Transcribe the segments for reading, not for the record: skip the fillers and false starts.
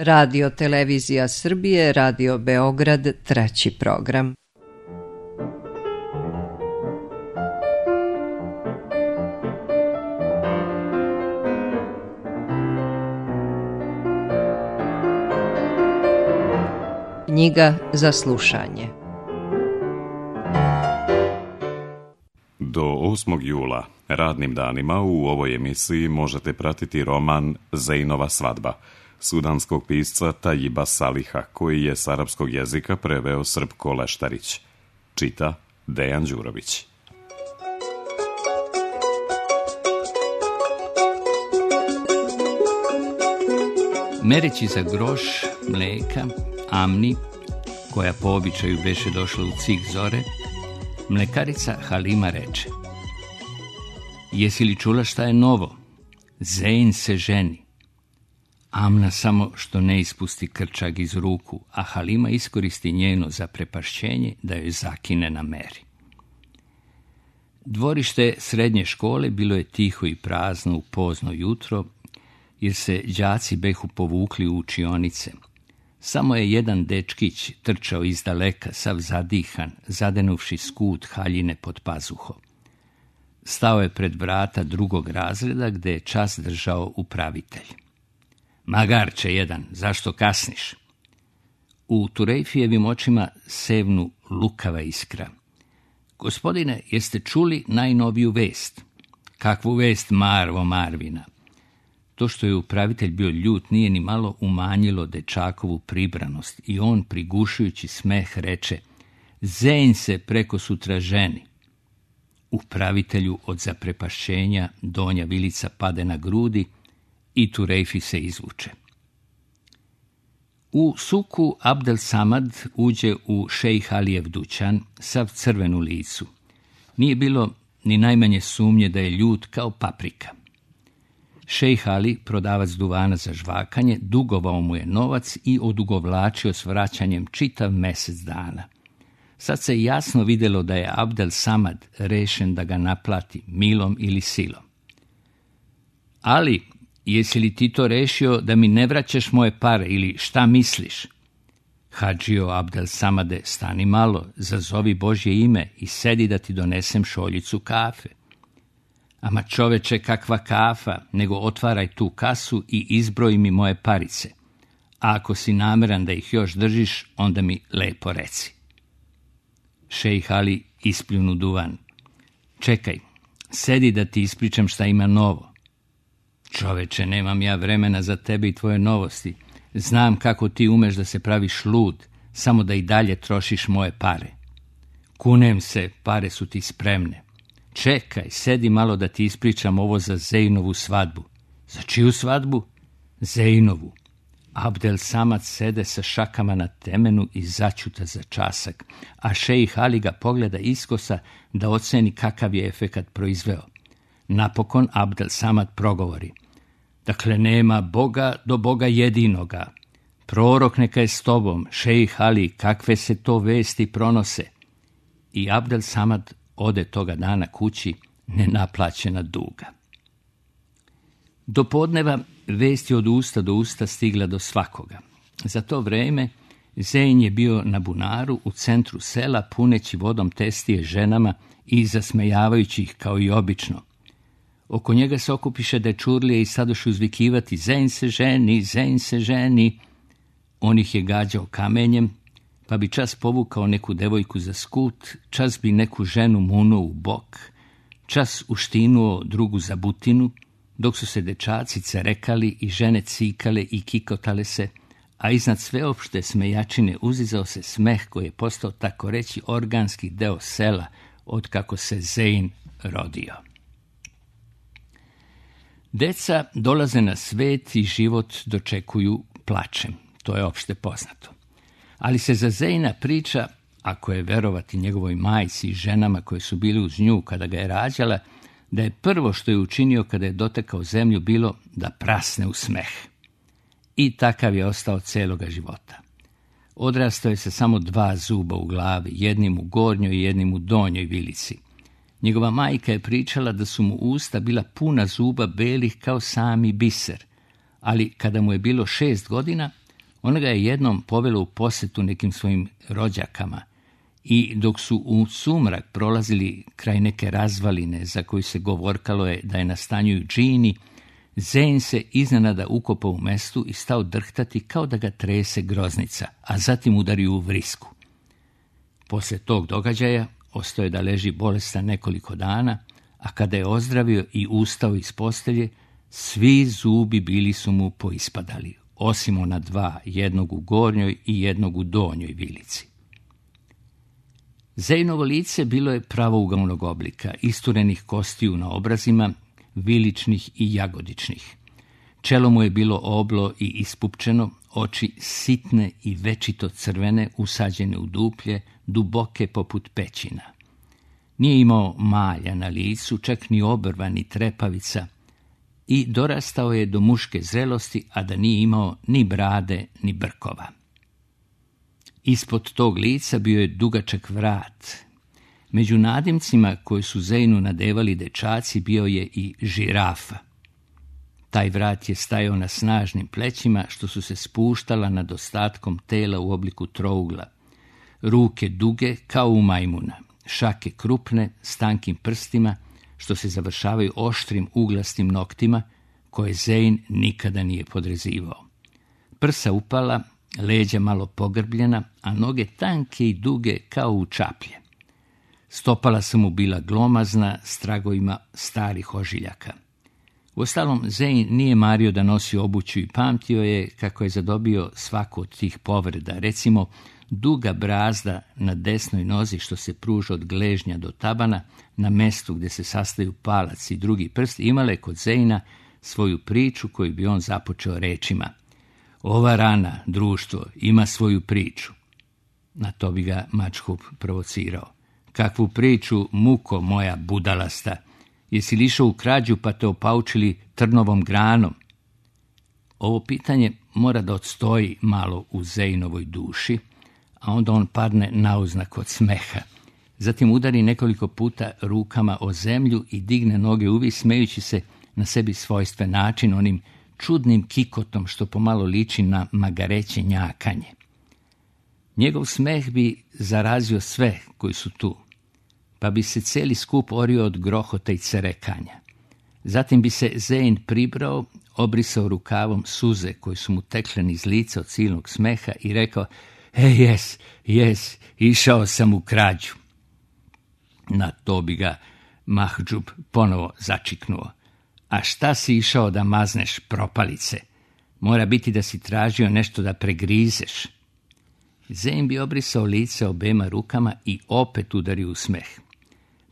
Radio Televizija Srbije, Radio Beograd, 3. program. Knjiga za slušanje. Do 8. jula, radnim danima, u ovoj emisiji možete pratiti roman Zejnova svadba, sudanskog pisca Tajiba Saliha, koji je s arapskog jezika preveo Srpko Leštarić. Čita Dejan Đurović. Mereći za groš mleka Amni, koja po običaju beše došla u cik zore, mlekarica Halima reče: "Jesi li čula šta je novo? Zein se ženi." Amna samo što ne ispusti krčag iz ruku, a Halima iskoristi njeno zaprepašćenje da joj zakine na meri. Dvorište srednje škole bilo je tiho i prazno u pozno jutro, jer se đaci behu povukli u učionice. Samo je jedan dečkić trčao iz daleka, sav zadihan, zadenuvši skut haljine pod pazuho. Stao je pred vrata drugog razreda, gde je čas držao upravitelj. "Magarče jedan, zašto kasniš?" U Turejfijevim očima sevnu lukava iskra. "Gospodine, jeste čuli najnoviju vest?" "Kakvu vest, Marvo Marvina?" To što je upravitelj bio ljut nije ni malo umanjilo dečakovu pribranost i on, prigušujući smeh, reče: "Zein se preko sutra ženi." Upravitelju od zaprepašćenja donja vilica pade na grudi i Turejfi se izvuče. U suku Abdel Samad uđe u šejh Alijev dućan, sav crven u licu. Nije bilo ni najmanje sumnje da je ljut kao paprika. Šejh Ali, prodavac duvana za žvakanje, dugovao mu je novac i odugovlačio s vraćanjem čitav mesec dana. Sad se jasno vidjelo da je Abdel Samad rešen da ga naplati milom ili silom. "Ali, jesi li ti to rešio da mi ne vraćaš moje pare ili šta misliš?" "Hadžio Abdel Samade, stani malo, zazovi Božje ime i sedi da ti donesem šoljicu kafe." "Ama čoveče, kakva kafa, nego otvaraj tu kasu i izbroj mi moje parice. A ako si nameran da ih još držiš, onda mi lepo reci." Šejh Ali ispljunu duvan. "Čekaj, sedi da ti ispričam šta ima novo." "Čoveče, nemam ja vremena za tebe i tvoje novosti. Znam kako ti umeš da se praviš lud, samo da i dalje trošiš moje pare." "Kunem se, pare su ti spremne." "Čekaj, sedi malo da ti ispričam ovo za Zejnovu svadbu." "Za čiju svadbu?" "Zejnovu." Abdel Samad sede sa šakama na temenu i začuta za časak, a šejh Ali ga pogleda iskosa da oceni kakav je efekat proizveo. Napokon Abdel Samad progovori: "Dakle, nema Boga do Boga jedinoga. Prorok neka je s tobom, šejh Ali, kakve se to vesti pronose?" I Abdel Samad ode toga dana kući nenaplaćena duga. Do podneva vest je od usta do usta stigla do svakoga. Za to vreme Zein je bio na bunaru u centru sela, puneći vodom testije ženama i zasmejavajući ih kao i obično. Oko njega se okupiše dečurlije i sadoše uzvikivati: "Zein se ženi, Zein se ženi." On ih je gađao kamenjem, pa bi čas povukao neku devojku za skut, čas bi neku ženu munuo u bok, čas uštinuo drugu za butinu, dok su se dečaci cerekali i žene cikale i kikotale se, a iznad sveopšte smejačine uzizao se smeh koji je postao tako reći organski deo sela od kako se Zein rodio. Deca dolaze na svet i život dočekuju plačem, to je opšte poznato. Ali se za Zeina priča, ako je verovati njegovoj majci i ženama koje su bili uz nju kada ga je rađala, da je prvo što je učinio kada je dotakao zemlju bilo da prasne u smeh. I takav je ostao celoga života. Odrastao je sa samo 2 zuba u glavi, jednim u gornjoj i jednim u donjoj vilici. Njegova majka je pričala da su mu usta bila puna zuba belih kao sami biser, ali kada mu je bilo 6 godina, Ona ga je jednom povela u posjetu nekim svojim rođakama i dok su u sumrak prolazili kraj neke razvaline za koju se govorkalo je da je nastanjuju džini, Zeyn se iznenada ukopao u mestu i stao drhtati kao da ga trese groznica, a zatim udario u vrisku. Poslije tog događaja ostao je da leži bolestan nekoliko dana, a kada je ozdravio i ustao iz postelje, svi zubi bili su mu poispadali, osim ona dva, jednog u gornjoj i jednog u donjoj vilici. Zeynovo lice bilo je pravougalnog oblika, isturenih kostiju na obrazima, viličnih i jagodičnih. Čelo mu je bilo oblo i ispupčeno, oči sitne i večito crvene, usađene u duplje, duboke poput pećina. Nije imao malja na licu, čak ni obrva, ni trepavica, i dorastao je do muške zrelosti, a da nije imao ni brade, ni brkova. Ispod tog lica bio je dugačak vrat. Među nadimcima koje su Zeynu nadevali dečaci bio je i žirafa. Taj vrat je stajao na snažnim plećima što su se spuštala nad ostatkom tela u obliku trougla. Ruke duge kao u majmuna, šake krupne s tankim prstima što se završavaju oštrim uglastim noktima koje Zeyn nikada nije podrezivao. Prsa upala, leđa malo pogrbljena, a noge tanke i duge kao u čaplje. Stopala su mu bila glomazna s tragovima starih ožiljaka. Uostalom, Zeyn nije mario da nosi obuću i pamtio je kako je zadobio svaku od tih povreda. Recimo, duga brazda na desnoj nozi što se pruža od gležnja do tabana, na mestu gdje se sastaju palac i drugi prst, imala je kod Zeyna svoju priču koju bi on započeo rečima: "Ova rana, društvo, ima svoju priču." Na to bi ga Mačhup provocirao: "Kakvu priču, muko moja budalasta? Jesi li išao u krađu pa te opaučili trnovom granom?" Ovo pitanje mora da odstoji malo u Zeynovoj duši, a onda on padne nauznak od smeha. Zatim udari nekoliko puta rukama o zemlju i digne noge uvis, smejući se na sebi svojstven način, onim čudnim kikotom što pomalo liči na magareće njakanje. Njegov smeh bi zarazio sve koji su tu, pa bi se cijeli skup orio od grohota i cerekanja. Zatim bi se Zeyn pribrao, obrisao rukavom suze koje su mu tekle niz lica od silnog smeha i rekao: Jes, išao sam u krađu." Na to bi ga Mahdžub ponovo začiknuo: "A šta si išao da mazneš, propalice? Mora biti da si tražio nešto da pregrizeš." Zeyn bi obrisao lice obema rukama i opet udario u smeh.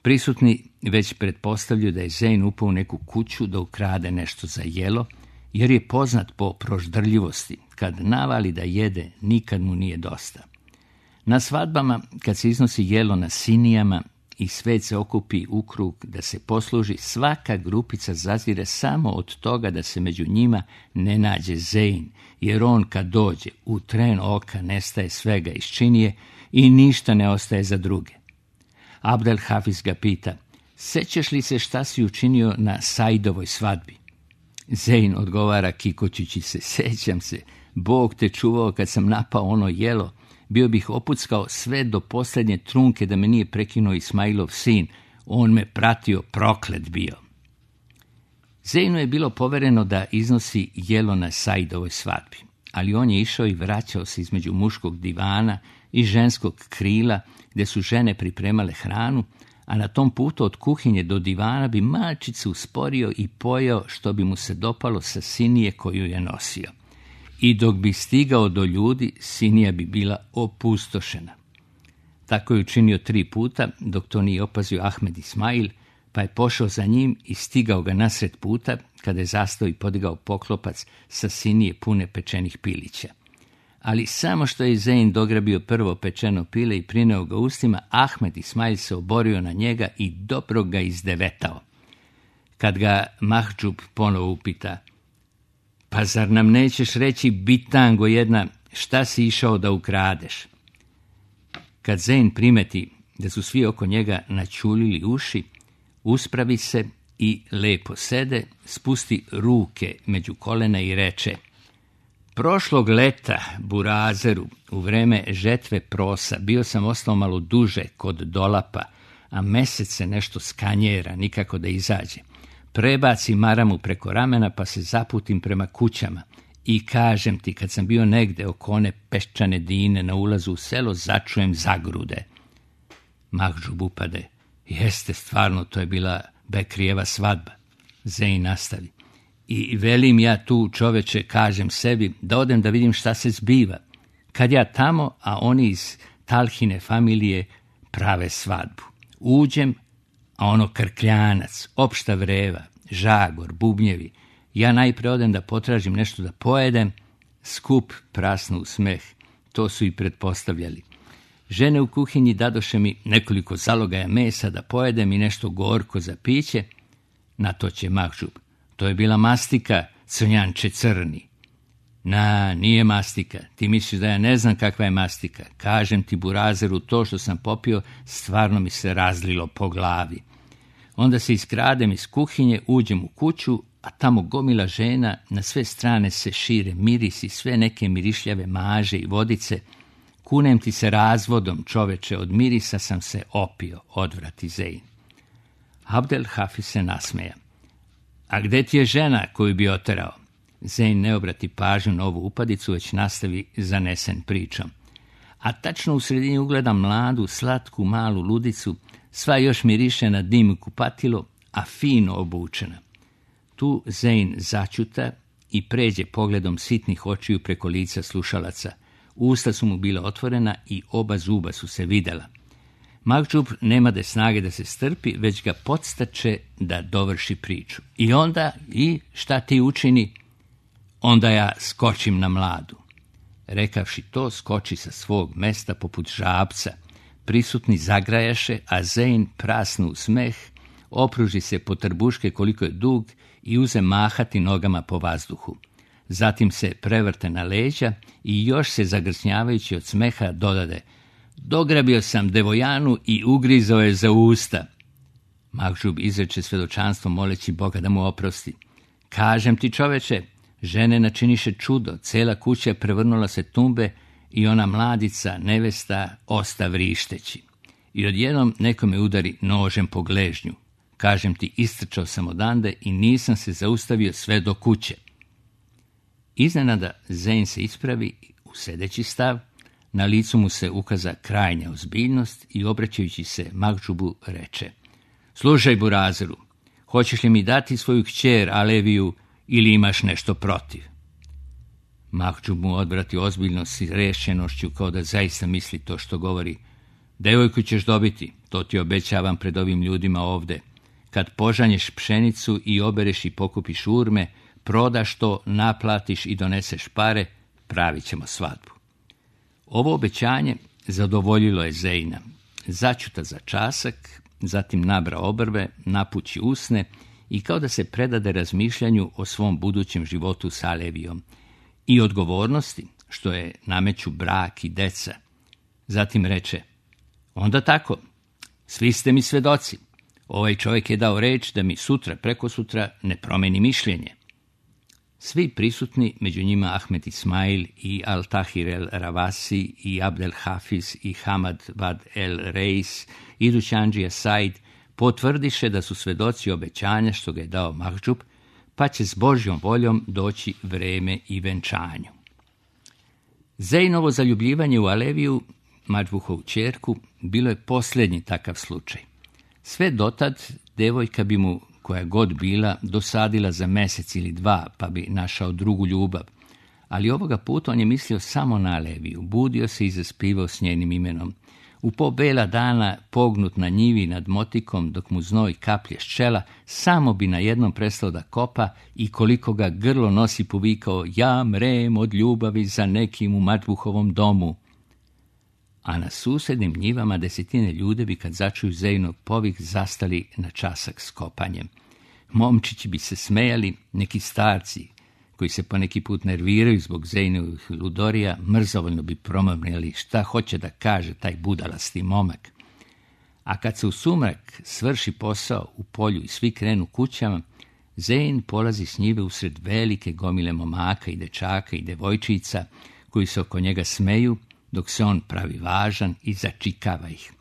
Prisutni već pretpostavljaju da je Zeyn upao u neku kuću da ukrade nešto za jelo, jer je poznat po proždrljivosti. Kad navali da jede, nikad mu nije dosta. Na svadbama, kad se iznosi jelo na sinijama i svet se okupi u krug da se posluži, svaka grupica zazire samo od toga da se među njima ne nađe Zeyn, jer on kad dođe, u tren oka nestaje svega iz činije i ništa ne ostaje za druge. Abdel Hafiz ga pita: "Sećaš li se šta si učinio na Saidovoj svadbi?" Zeyn odgovara kikoćući se: "Sećam se, Bog te čuvao kad sam napao ono jelo, bio bih opuckao sve do posljednje trunke da me nije prekinuo Ismailov sin, on me pratio, proklet bio." Zeynu je bilo povereno da iznosi jelo na Saidovoj svadbi, ali on je išao i vraćao se između muškog divana i ženskog krila gdje su žene pripremale hranu, a na tom putu od kuhinje do divana bi malčice usporio i pojeo što bi mu se dopalo sa sinije koju je nosio. I dok bi stigao do ljudi, sinija bi bila opustošena. Tako je učinio 3 puta, dok to nije opazio Ahmed Ismail, pa je pošao za njim i stigao ga nasred puta, kada je zastao i podigao poklopac sa sinije pune pečenih pilića. Ali samo što je Zeyn dograbio prvo pečeno pile i prineo ga ustima, Ahmed Ismail se oborio na njega i dobro ga izdevetao. Kad ga Mahdžub ponovo upita: "Pa zar nam nećeš reći, bitango jedna, šta si išao da ukradeš?" Kad Zeyn primeti da su svi oko njega načulili uši, uspravi se i lepo sede, spusti ruke među kolena i reče: Prošlog leta, Burazeru, u vreme žetve prosa, bio sam ostao malo duže kod dolapa, a mesec se nešto skanjera, nikako da izađe. Prebaci maramu preko ramena, pa se zaputim prema kućama. I kažem ti, kad sam bio negde oko one peščane dine na ulazu u selo, začujem zagrude. Mahdžub upade. Jeste, stvarno, to je bila Bekrijeva svadba. Zein nastavi. I velim ja tu, čoveče, kažem sebi, da odem da vidim šta se zbiva. Kad ja tamo, a oni iz Talhine familije prave svadbu. Uđem, a ono krkljanac, opšta vreva, žagor, bubnjevi. Ja najpre odem da potražim nešto da pojedem, skup prasnu u smeh. To su i pretpostavljali. Žene u kuhinji dadoše mi nekoliko zalogaja mesa da pojedem i nešto gorko za piće. Na to će Mahdžub. To je bila mastika, crnjanče crni. Nije mastika. Ti misliš da ja ne znam kakva je mastika. Kažem ti, Burazeru, to što sam popio, stvarno mi se razlilo po glavi. Onda se iskradem iz kuhinje, uđem u kuću, a tamo gomila žena, na sve strane se šire mirisi, sve neke mirišljave maže i vodice. Kunem ti se razvodom, čoveče, od mirisa sam se opio, odvrati Zein. Abdel Hafiz se nasmeja. A gde ti je žena koju bi oterao? Zein ne obrati pažnju na ovu upadicu, već nastavi zanesen pričom. A tačno u sredini ugledam mladu, slatku, malu ludicu, sva još miriše na dim i kupatilo, a fino obučena. Tu Zein začuta i pređe pogledom sitnih očiju preko lica slušalaca. Usta su mu bila otvorena i oba zuba su se videla. Mahdžub nema da snage da se strpi, već ga podstače da dovrši priču. I šta ti učini? Onda ja skočim na mladu. Rekavši to, skoči sa svog mesta poput žabca. Prisutni zagrajaše, a Zein prasnu u smeh, opruži se po trbuške koliko je dug i uze mahati nogama po vazduhu. Zatim se prevrte na leđa i još se zagrsnjavajući od smeha dodade: dograbio sam devojanu i ugrizao je za usta. Mahdžub izreče svedočanstvo moleći Boga da mu oprosti. Kažem ti, čoveče, žene načiniše čudo, cela kuća prevrnula se tumbe i ona mladica, nevesta, osta vrišteći. I odjednom neko me udari nožem po gležnju. Kažem ti, istrčao sam odande i nisam se zaustavio sve do kuće. Iznenada Zein se ispravi u sedeći stav, na licu mu se ukaza krajnja ozbiljnost i obraćajući se Mahdžubu reče: slušaj, Burazeru, hoćeš li mi dati svoju kćer Aleviju ili imaš nešto protiv? Mahdžub mu odvrati ozbiljno s rešenošću, kao da zaista misli to što govori. Devojku ćeš dobiti, to ti obećavam pred ovim ljudima ovde. Kad požanješ pšenicu i obereš i pokupiš urme, prodaš to, naplatiš i doneseš pare, pravit ćemo svadbu. Ovo obećanje zadovoljilo je Zeina. Začuta za časak, zatim nabra obrve, napući usne i kao da se predade razmišljanju o svom budućem životu s Alevijom i odgovornosti što je nameću brak i deca. Zatim reče: onda tako, svi ste mi svedoci. Ovaj čovjek je dao reč da mi sutra, prekosutra ne promeni mišljenje. Svi prisutni, među njima Ahmed Ismail i Al-Tahir el-Ravasi i Abdel Hafiz i Hamad Vad el-Reis i Dućandžija Said, potvrdiše da su svedoci obećanja što ga je dao Mahdžub, pa će s Božjom voljom doći vreme i venčanju. Zeinovo zaljubljivanje u Aleviju, Mahdžubovu ćerku, bilo je posljednji takav slučaj. Sve dotad devojka bi mu, koja god bila, dosadila za mesec ili dva, pa bi našao drugu ljubav. Ali ovoga puta on je mislio samo na Aleviju, budio se i zaspivao s njenim imenom. U po bela dana, pognut na njivi nad motikom, dok mu znoj kaplje s čela, samo bi na jednom prestao da kopa i koliko ga grlo nosi povikao: ja mrem od ljubavi za nekim u Mahdžubovom domu. A na susednim njivama desetine ljudi bi, kad začuju Zeinov povik, zastali na časak s kopanjem. Momčići bi se smejali, neki starci, koji se po neki put nerviraju zbog Zeinovih ludorija, mrzovoljno bi promrmljali šta hoće da kaže taj budalasti momak. A kad se u sumrak svrši posao u polju i svi krenu kućama, Zein polazi s njive usred velike gomile momaka i dečaka i devojčica koji se oko njega smeju, dok se on pravi važan i začikava ih.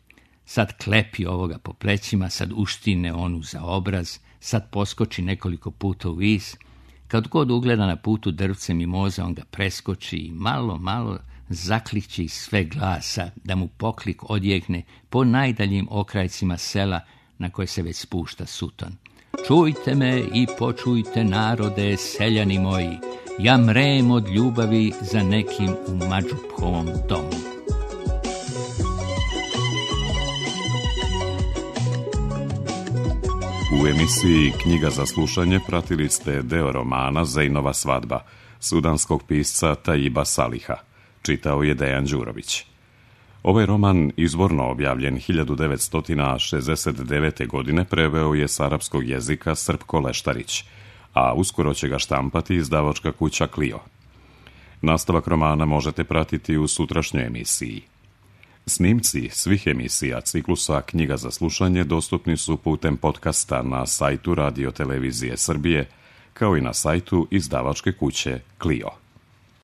Sad klepi ovoga po plećima, sad uštine onu za obraz, sad poskoči nekoliko puta u vis. Kad god ugleda na putu drvce mimoze, on ga preskoči i malo zakliči iz sve glasa da mu poklik odjekne po najdaljim okrajcima sela na koje se već spušta suton. Čujte me i počujte narode, seljani moji, ja mrem od ljubavi za nekim u Mađuphovom domu. U emisiji Knjiga za slušanje pratili ste deo romana Zeinova svadba, sudanskog pisca Tajiba Saliha. Čitao je Dejan Đurović. Ovaj roman, izvorno objavljen 1969. godine, preveo je s arapskog jezika Srpko Leštarić, a uskoro će ga štampati izdavačka kuća Clio. Nastavak romana možete pratiti u sutrašnjoj emisiji. Snimci svih emisija ciklusa Knjiga za slušanje dostupni su putem podcasta na sajtu Radio Televizije Srbije, kao i na sajtu izdavačke kuće Clio.